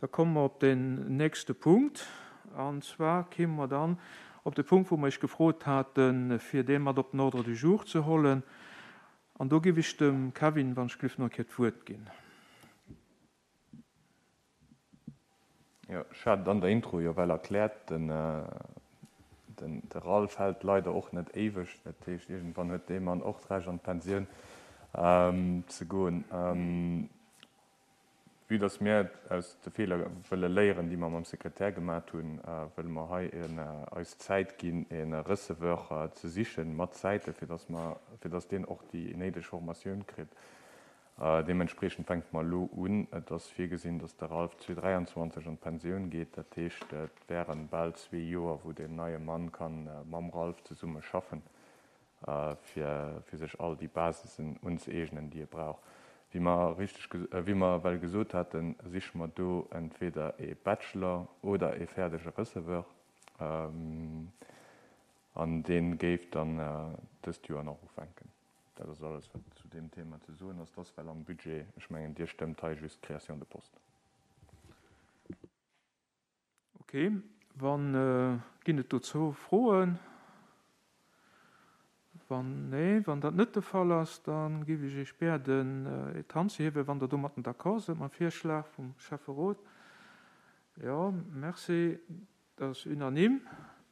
Da komme mer op den nächste Punkt. An zwar kéime mer dann op de Punkt, wou mer Iech gefrot haten, fir dee mat op den Ordre du jour ze hollen. An do géif ech dem Kevin, wann ech gelift, nach eng Kéier d'Wuert ginn. Jo, ech hat et an der Intro jo well erkläert, den de Ralph hält leider och net éiweg. Dat heescht, iergendwann huet dee Mann och d'Recht an d'Pensioun ze goen. Vue dass mir aus de Feeler wëlle léieren, déi mer mam Sekretär gemat hunn, wëlle mer hei eis Zäit ginn, e Receveur ze sichen mat Zäite fir dass mer, fir dass deen och déi néideg Formatioun kritt. Deementspriechend fänke mer elo un. Et ass virgesinn, dass de Ralph 2023 an d'Pensioun geet. Dat heescht, et wären bal zwee Joer, wou deen neie Mann ka mam Ralph zesumme schaffen. fir fir sech all déi Basisen unzëeegnen, déi e brauch. Wéi mer richteg, wéi mer ewell gesot haten, siche mer do entweder ee Bachelor oder ee fäerdege Receveur, an dee géif dann dëst Joer nach ufänken. Dat ass alles, wat zu deem Thema ze soen ass. Dat ass well am Budget, ech mengen, Dir stëmmt hei just d'Création de poste. Ok, wann, ginn et dozou Froen? Wann, nee, wann dat net de Fall ass, da géif ech Iech bieden, d'Hand ze hiewen, wann Der domatten d'accord sidd mam Virschlag vum Schäfferot. Jo, merci, dat ass unanime.